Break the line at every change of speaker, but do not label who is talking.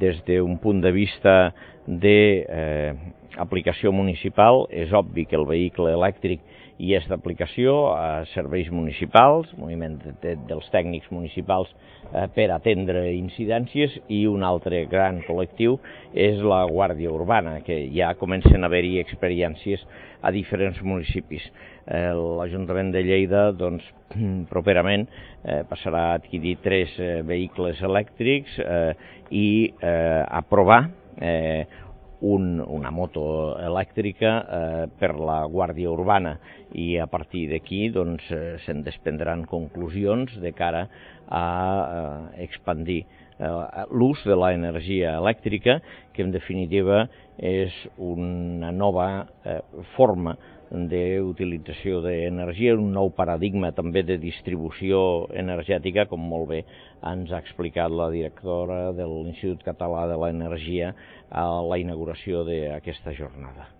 des d'un punt de vista d'aplicació municipal, és obvi que el vehicle elèctric hi és d'aplicació a serveis municipals, moviment dels tècnics municipals per atendre incidències, i un altre gran col·lectiu és la Guàrdia Urbana, que ja comencen a haver-hi experiències a diferents municipis. L'Ajuntament de Lleida, doncs, properament passarà a adquirir 3 vehicles elèctrics i aprovar una moto elèctrica per la Guàrdia Urbana, i a partir d'aquí se'n desprendran conclusions de cara a expandir l'ús de l'energia elèctrica, que en definitiva és una nova forma d'utilització d'energia, un nou paradigma també de distribució energètica, com molt bé ens ha explicat la directora de l'Institut Català de l'Energia a la inauguració d'aquesta jornada.